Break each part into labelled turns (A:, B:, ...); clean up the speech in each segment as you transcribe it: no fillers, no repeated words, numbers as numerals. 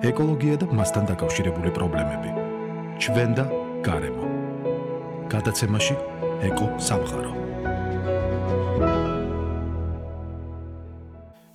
A: ეკოლოგია და მასთან დაკავშირებული პრობლემები. ჩვენ და გარემო. გადაცემაში ეკო სამყარო.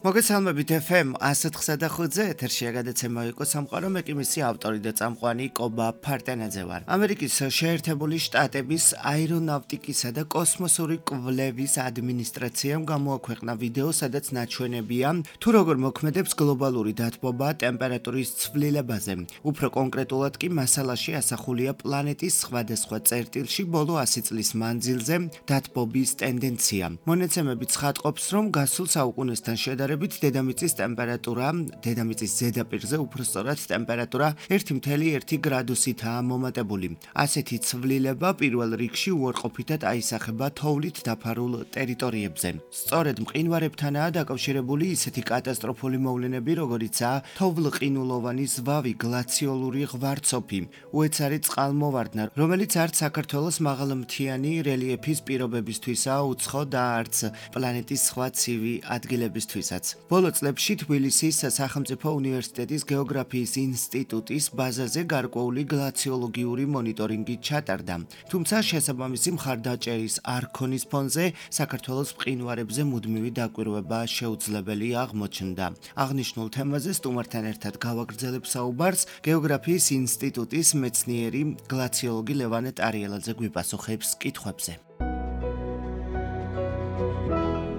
B: მოგესალმებით FM 104.5-ზე ეთერშია გადაცემა ეკო სამყარო, მე კი მისი ავტორი და წამყვანი კობა ფარტენაძე ვარ. ამერიკის შეერთებული შტატების აერონავტიკისა და კოსმოსური კვლევის ადმინისტრაციამ გამოაქვეყნა ვიდეო, სადაც ნაჩვენებია თუ როგორ მოქმედებს გლობალური დათბობა ტემპერატურის ცვლილებაზე. უფრო კონკრეტულად კი მასალაში ასახულია პლანეტის სხვადასხვა წერტილში ბოლო 100 წლის მანძილზე დათბობის ტენდენცია. მონაცემები ცხადყოფს, რომ გასულ საუკუნესთან შედარებით დედამიწის ტემპერატურა, დედამიწის ზედაპირზე უფრო სწორად ტემპერატურა 1.1 გრადუსითაა მომატებული. ასეთი ცვლილება პირველ რიგში უარყოფითად აისახება თოვლით დაფარულ ტერიტორიებზე. სწორედ მყინვარებთანაა დაკავშირებული ისეთი კატასტროფული მოვლენები, როგორიცაა თოვლყინულოვანი ზვავი, გლაციოლური ღვარცოფი, უეცარი წყალმოვარდნა, რომელიც არც საქართველოს მაღალმთიანი რელიეფის პირობებისთვისაა უცხო და არც პლანეტის სხვა ცივი ადგილებისთვისაც. ბოლო წლებში თბილისის სახელმწიფო უნივერსიტეტის გეოგრაფიის ინსტიტუტის ბაზაზე გარკვეული გლაციოლოგიური მონიტორინგი ჩატარდა. თუმცა შესაბამისი მხარდაჭერის არ ქონის ფონზე საქართველოს მყინვარებზე მუდმივი დაკვირვება შეუძლებელი აღმოჩნდა. აღნიშნულ თემაზე სტუმართან ერთად გავაგრძელებ საუბარს გეოგრაფიის ინსტიტუტის მეცნიერი გლაციოლოგი ლევან ტარიელაძე გვიპასუხებს კითხვებზე.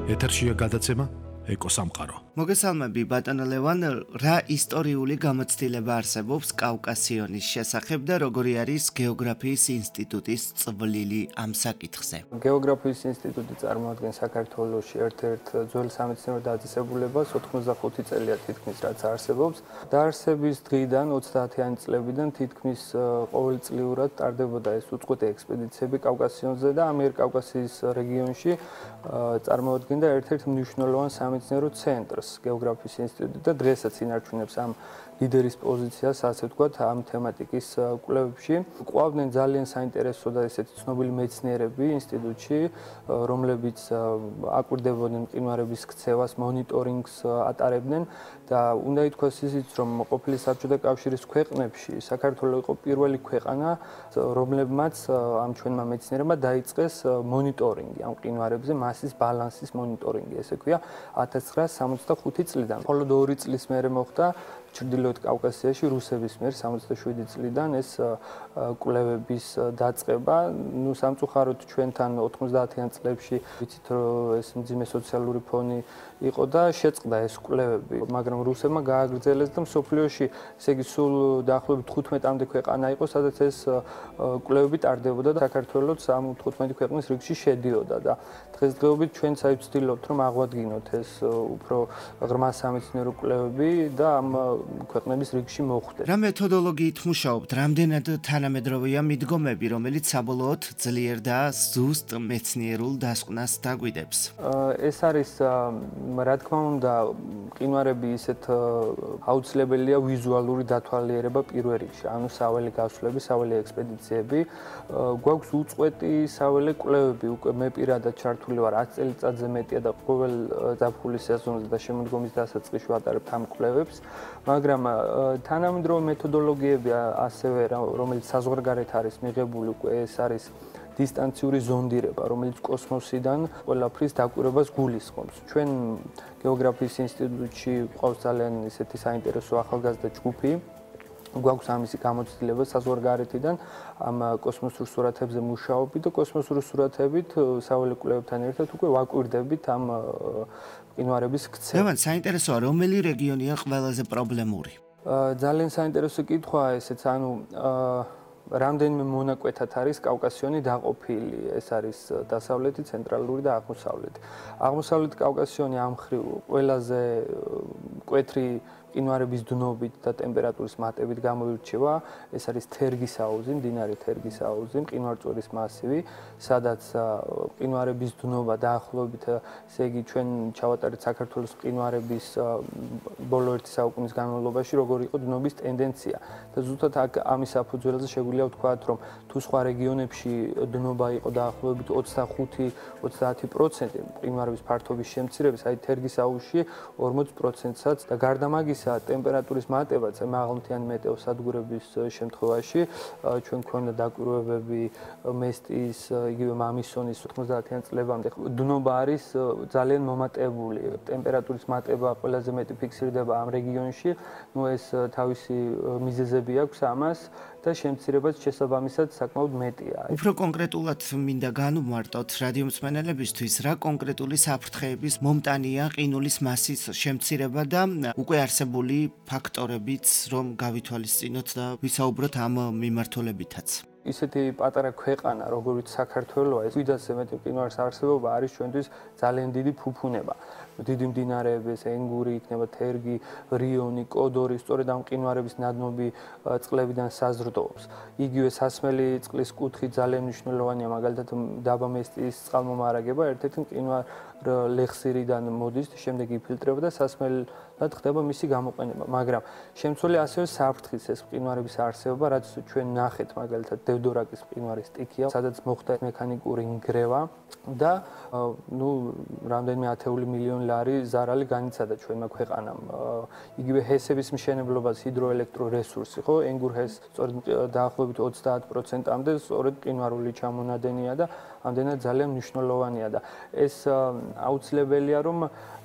A: ეთერშია გადაცემა ეკო სამყარო.
B: მოგესალმები ბატონო ლევან, რა ისტორიული გამოცდილება არსებობს კავკასიონის შესახებ და როგორი არის გეოგრაფიის ინსტიტუტის წვლილი ამ საკითხზე?
C: გეოგრაფიის ინსტიტუტი წარმოადგენს საქართველოში ერთ-ერთ ძველ სამეცნიერო დაწესებულებას, 85 წელია თითქმის რაც არსებობს. დაარსების დღიდან 30-იანი წლებიდან თითქმის ყოველწლიურად ტარდებოდა ეს უწყვეტი ექსპედიციები კავკასიონზე და ამიერკავკასიის რეგიონში წარმოადგენდა ერთ-ერთ მნიშვნელოვან სამეცნიერო ცენტრს. გეოგრაფიის ინსტიტუტი და დღესაც ინარჩუნებს ამ ლიდერის პოზიციას, ასე ვთქვათ, ამ თემატიკის კვლევებში. ყვავდნენ ძალიან საინტერესო და ესეთი ცნობილი მეცნიერები ინსტიტუტში, რომლებიც აკვირდებოდნენ მყინვარების ქცევას, მონიტორინგს ატარებდნენ და უნდა ითქვას ისიც, რომ ყოფილი საბჭოთა კავშირის ქვეყნებში საქართველო იყო პირველი ქვეყანა, რომლებმაც ამ ჩვენმა მეცნიერებმა დაიწყეს მონიტორინგი ამ მყინვარებზე, მასის ბალანსის მონიტორინგი, ესე ქვია 1965 წლიდან. მხოლოდ 2 წლის მერე მოხდა ჩრდილოეთ კავკასიაში რუსების მიერ 67 წლიდან ეს კვლევების დაწყება. ნუ სამწუხაროდ ჩვენთან 90-იან წლებში ვიცით, რომ ეს მძიმე სოციალური ფონი იყო და შეწყდა ეს კვლევები, მაგრამ რუსებმა გააგრძელეს და მსოფლიოში, ესე იგი, სულ დაახლოებით 15-მდე ქვეყანა იყო, სადაც ეს კვლევები ტარდებოდა და საქართველოც ამ 15 ქვეყნის რიგში შედიოდა და დღესდღეობით ჩვენც ვცდილობთ, რომ აღვადგინოთ ეს უფრო ღრმა სამეცნიერო კვლევები და ამ ქვეყნების რიგში მოხვდეთ.
B: რა მეთოდოლოგიით მუშაობთ? რამდენად თანამედროვეა მიდგომები, რომელიც საბოლოოდ ძლიერ და ზუსტ მეცნიერულ დასკვნას დაგვიდებს?
C: ეს არის, რა თქმა უნდა, მყინვარები ისეთ აუცილებელია ვიზუალური დათვალიერება პირველ რიგში, ანუ საველე გასვლები, საველე ექსპედიციები. გვაქვს უწყვეტი საველე კვლევები, უკვე მე პირადად ჩართული ვარ 10 წელიწადზე მეტია და ყოველ ზაფხულის სეზონზე და შემოდგომის დასაწყისში ვატარებთ ამ კვლევებს. მაგრამ თანამედროვე მეთოდოლოგიები ასევე, რომელიც საზღვარგარეთ არის მიღებული, უკვე ეს არის დისტანციური ზონდირება, რომელიც კოსმოსიდან ყველაფრის დაკვირვებას გულისხმობს. ჩვენ გეოგრაფიის ინსტიტუტში გვყავს ძალიან ისეთი საინტერესო ახალგაზრდა ჯგუფი. გვაქვს ამისი გამოცდილება საზღვარგარეთიდან ამ კოსმოსურ სურათებზე მუშაობთ და კოსმოსური სურათებით საველე კვლევებთან ერთად უკვე ვაკვირდებით ამ მყინვარების ქცევას.
B: ლევან, საინტერესოა, რომელი რეგიონია ყველაზე პრობლემური?
C: ძალიან საინტერესო კითხვაა ესეც, ანუ რამდენიმე მონაკვეთად არის კავკასიონი დაყოფილი. ეს არის დასავლეთი, ცენტრალური და აღმოსავლეთი. აღმოსავლეთ კავკასიონი ამ მხრივ ყველაზე მკვეთრი მყინვარების დნობით და ტემპერატურის მატებით გამოირჩევა. ეს არის თერგის აუზი, მდინარე თერგის აუზი, მყინვარწვერის მასივი, სადაც მყინვარების დნობა დაახლოებით, ესე იგი, ჩვენ ჩავატარეთ საქართველოს მყინვარების ბოლო 1 საუკუნის განმავლობაში, როგორი იყო დნობის ტენდენცია. და ზუსტად აქ ამის საფუძველზე შეგვიძლია ვთქვათ, რომ თუ სხვა რეგიონებში დნობა იყო დაახლოებით 25-30% მყინვარების ფართობის შემცირების, აი თერგის აუზში 40%-საც და გარდა მაგისა მაგალითისა ტემპერატურის მატებაც მაღალმთიანი მეტეოსადგურების შემთხვევაში ჩვენ გვქონდა დაკვირვებები მესტის, იგივე მამისონის 90-იან წლებამდე. დნობა არის ძალიან მომატებული. ტემპერატურის მატება ყველაზე მეტი ფიქსირდება ამ რეგიონში. ეს თავისი მიზეზები აქვს ამას და შემცირებაც შესაბამისად საკმაოდ მეტია.
B: უფრო კონკრეტულად მინდა განვმარტოთ რადიომსმენელებისთვის, რა კონკრეტული საფრთხეების მომტანია ყინულის მასის შემცირება და უკვე არსებული ფაქტორებიც, რომ გავითვალისწინოთ და ვისაუბროთ ამ მიმართულებითაც.
C: ისეთი პატარა ქვეყანა, როგორიც საქართველოა, ეს 500-ზე მეტი მყინვარის არსებობა არის ჩვენთვის ძალიან დიდი ფუფუნება. დიდი მდინარეების, ენგური, იქნება თერგი, რიონი, კოდორი, სწორედ ამ მყინვარების ნადნობი წყლებიდან საზრდოობს. იგივე სასმელი წყლის კუთხე ძალიან მნიშვნელოვანია, მაგალითად დაბა მესტის წყალმომარაგება ერთ-ერთი მყინვარ ლეხსირიდან მოდის, შემდეგ იფილტრება და სასმელად ხდება მისი გამოყენება. მაგრამ შემცველი ასევე საფრთხის ეს მყინვარების არსებობა, რაც ჩვენ ნახეთ მაგალითად დევდორაკის მყინვარის სტიქია, სადაც მოხდა მექანიკური ნგრევა და რამდენიმე ათეული მილიონი ლარი ზარალი განიცადა ჩვენმა ქვეყანამ. იგივე ჰესების მშენებლობას ჰიდროელექტრორესურსი, ხო, ენგურ-ჰეს სწორედ დაახლოებით 30%-მდე სწორედ მყინვარული ჩამონადენია და ამდენად ძალიან მნიშვნელოვანია და ეს აუცილებელია, რომ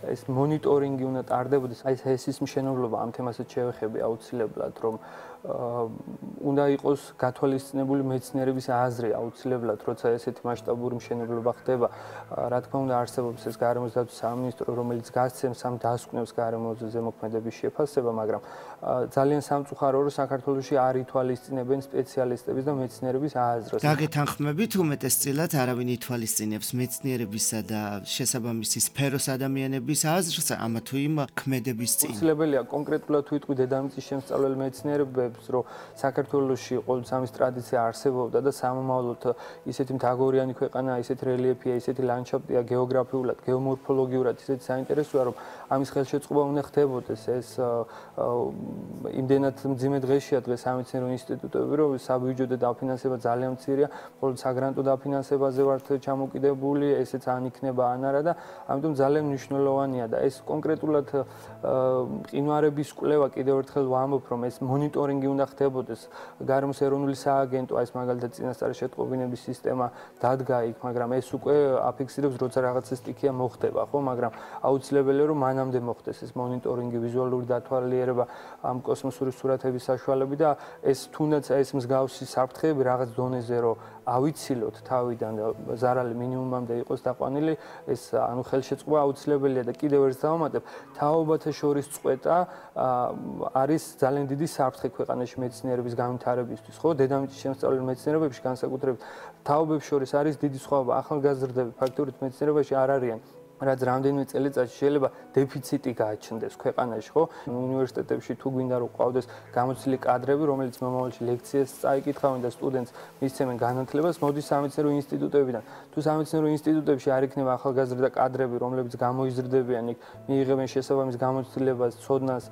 C: ეს მონიტორინგი უნდა ტარდებოდეს. აი ეს ჰესის მშენებლობა ამ თემასაც შევეხები აუცილებლად, რომ უნდა იყოს გათვალისწინებული მეცნიერების აზრი აუცილებლად, როცა ესეთი მასშტაბური მშენებლობა ხდება. რა თქმა უნდა, არსებობს ეს გარემოს დაცვის სამინისტრო, რომელიც გასცემს ამ დასკვნებს გარემოზე ზემოქმედების შეფასება, მაგრამ ძალიან სამწუხაროა, რომ საქართველოში არ ითვალისწინებენ სპეციალისტების და მეცნიერების აზრს.
B: დაგეთანხმებით, უმეტესწილად არავინ ითვალისწინებს მეცნიერებისა და შესაბამისი სფეროს ადამიანების აზრს, ამა თუ იმ ქმედების წინ.
C: აუცილებელია კონკრეტულად თუ იტყვი დედამიწის შემსწავლელ მეცნიერებებს, რომ საქართველოში ყოველთვის ამის ტრადიცია არსებობდა და სამომავლოდ ისეთი მთაგორიანი ქვეყანაა, ისეთი რელიეფია, ისეთი ლანდშაფტია გეოგრაფიულად, გეომორფოლოგიურად ისეთი საინტერესოა, რომ ამის ხელშეწყობა უნდა ხდებოდეს. ეს იმდენად მძიმე დღეშია დღეს სამეცნიერო ინსტიტუტები, რომ საბიუჯეტო დაფინანსება ძალიან მცირეა, მხოლოდ საგრანტო დაფინანსებაზე ვართ ჩამოკიდებული, ესეც ან იქნება ან არა და ამიტომ ძალიან მნიშვნელოვანია და ეს კონკრეტულად მყინვარების კვლევა კიდევ ერთხელ ვამბობ, რომ ეს მონიტორინგი უნდა ხდებოდეს. გარემოს ეროვნული სააგენტო, ეს მაგალითად წინასწარი შეტყობინების სისტემა დადგა იქ, მაგრამ ეს უკვე აფიქსირებს, როცა რაღაცა სტიქია მოხდება, ხო, მაგრამ აუცილებელია, რომ მანამდე მოხდეს ეს მონიტორინგი, ვიზუალური დათვალიერება ამ კოსმოსური სურათების საშუალებით და ეს თუნდაც ეს მსგავსი საფრთხეები რაღაც დონეზე რომ ავიცილოთ თავიდან და ზარალი მინიმუმამდე იყოს დაყვანილი, ეს ანუ ხელშეწყობა აუცილებელია და კიდევ ერთ დავამატებ, თაობათა შორის წყვეტა არის ძალიან დიდი საფრთხე ქვეყანაში მეცნიერების განვითარებისთვის, ხო? დედამიწის შემსწავლელ მეცნიერებებში განსაკუთრებით თაობებს შორის არის დიდი სხვაობა. ახალგაზრდები ფაქტობრივად მეცნიერებაში არ არიან. რაც რამდენიმე წელიწადში შეიძლება დეფიციტი გააჩნდეს ქვეყანაში, ხო? უნივერსიტეტებში თუ გვინდა რომ ყავდეს გამოცდილი კადრები, რომელიც მომავალში ლექციებს წაიკითხავენ და სტუდენტს მისცემენ განათლებას, მოდის სამეცნიერო ინსტიტუტებიდან. თუ სამეცნიერო ინსტიტუტებში არ იქნება ახალგაზრდა კადრები, რომლებიც გამოიზრდებიან იქ, მიიღებენ შესაბამის გამოცდილებას, ცოდნას,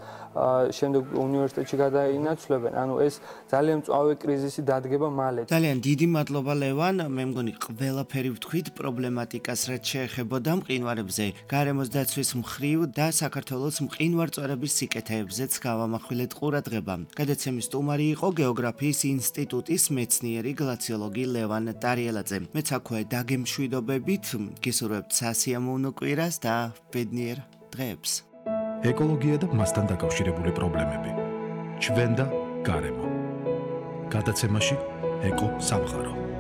C: შემდეგ უნივერსიტეტში გადაინაცვლებენ. ანუ ეს ძალიან მწვავე კრიზისი დადგება მალე.
B: ძალიან დიდი მადლობა ლევან, მე მგონი ყველაფერი ვთქვით პრობლემატიკას, რაც შეეხებოდა მყინვარებზე, გარემოს დაცვის მხრივ და საქართველოს მყინვარწვერების სიკეთეებზეც გავამახვილეთ ყურადღება. გადაცემის სტუმარი იყო გეოგრაფიის ინსტიტუტის მეცნიერი გლაციოლოგი ლევან ტარიელაძე. მეც აქვე დაგემშვიდობებით, გისურვებთ სასიამოვნო კვირას და ბედნიერ დღეებს.
A: ეკოლოგია და მასთან დაკავშირებული პრობლემები. ჩვენ და გარემო. გადაცემაში ეკო სამყარო.